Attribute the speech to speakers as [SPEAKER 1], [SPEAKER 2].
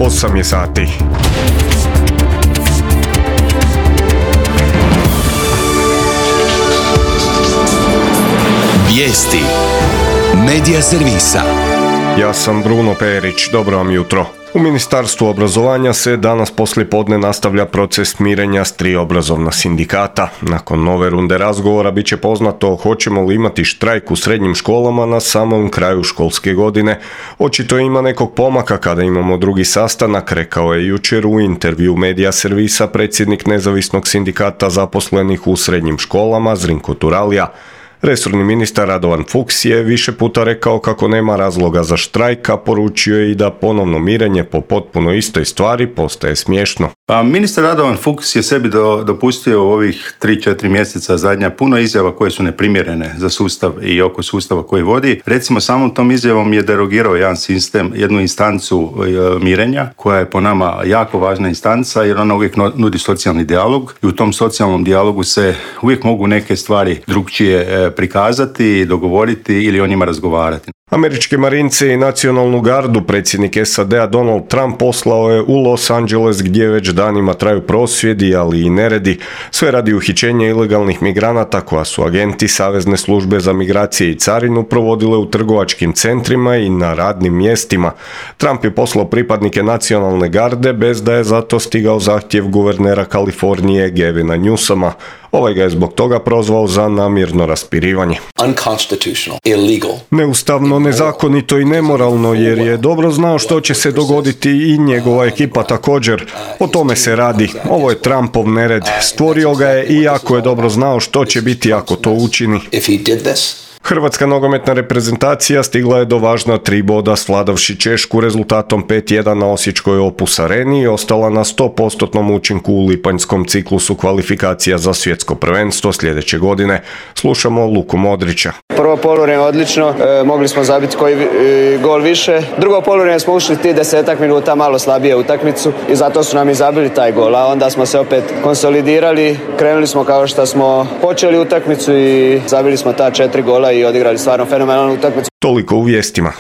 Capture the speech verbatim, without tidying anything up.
[SPEAKER 1] osam je sati.
[SPEAKER 2] Vijesti Medija servisa.
[SPEAKER 1] Ja sam Bruno Perić, dobro vam jutro. U Ministarstvu obrazovanja se danas poslijepodne nastavlja proces mirenja s tri obrazovna sindikata. Nakon nove runde razgovora bit će poznato hoćemo li imati štrajk u srednjim školama na samom kraju školske godine. Očito ima nekog pomaka kada imamo drugi sastanak, rekao je jučer u intervju Medija servisa predsjednik nezavisnog sindikata zaposlenih u srednjim školama Zrinko Turalija. Resorni ministar Radovan Fuchs je više puta rekao kako nema razloga za štrajk, a poručio je i da ponovno mirenje po potpuno istoj stvari postaje smiješno.
[SPEAKER 3] Pa ministar Radovan Fuchs je sebi do, dopustio u ovih tri četiri mjeseca zadnja puno izjava koje su neprimjerene za sustav i oko sustava koji vodi. Recimo samom tom izjavom je derogirao jedan sistem, jednu instancu e, mirenja koja je po nama jako važna instanca jer ona uvijek nudi socijalni dijalog i u tom socijalnom dijalogu se uvijek mogu neke stvari drukčije e, prikazati, dogovoriti ili o njima razgovarati.
[SPEAKER 1] Američke marince i nacionalnu gardu predsjednik S A D-a Donald Trump poslao je u Los Angeles gdje već danima traju prosvjedi, ali i neredi, sve radi uhićenja ilegalnih migranata koja su agenti Savezne službe za migracije i carinu provodile u trgovačkim centrima i na radnim mjestima. Trump je poslao pripadnike nacionalne garde bez da je zato stigao zahtjev guvernera Kalifornije Gavina Newsoma. Ovaj ga je zbog toga prozvao za namjerno raspirivanje.
[SPEAKER 2] Unconstitutional, illegal.
[SPEAKER 1] Neustavno, nezakonito i nemoralno jer je dobro znao što će se dogoditi i njegova ekipa također. O tome se radi. Ovo je Trumpov nered. Stvorio ga je i jako je dobro znao što će biti ako to učini. Hrvatska nogometna reprezentacija stigla je do važna tri boda svladavši Češku rezultatom pet jedan na osječkoj Opus Areni i ostala na sto posto učinku u lipanjskom ciklusu kvalifikacija za svjetsko prvenstvo sljedeće godine. Slušamo Luku Modrića.
[SPEAKER 4] Prvo poluvrijeme odlično, e, mogli smo zabiti koji e, gol više. Drugo poluvrijeme smo ušli ti desetak minuta malo slabije utakmicu i zato su nam i zabili taj gol, a onda smo se opet konsolidirali, krenuli smo kao što smo počeli utakmicu i zabili smo ta četiri gola i odigrali stvarno fenomenalnu utakmicu.
[SPEAKER 1] Toliko u vijestima.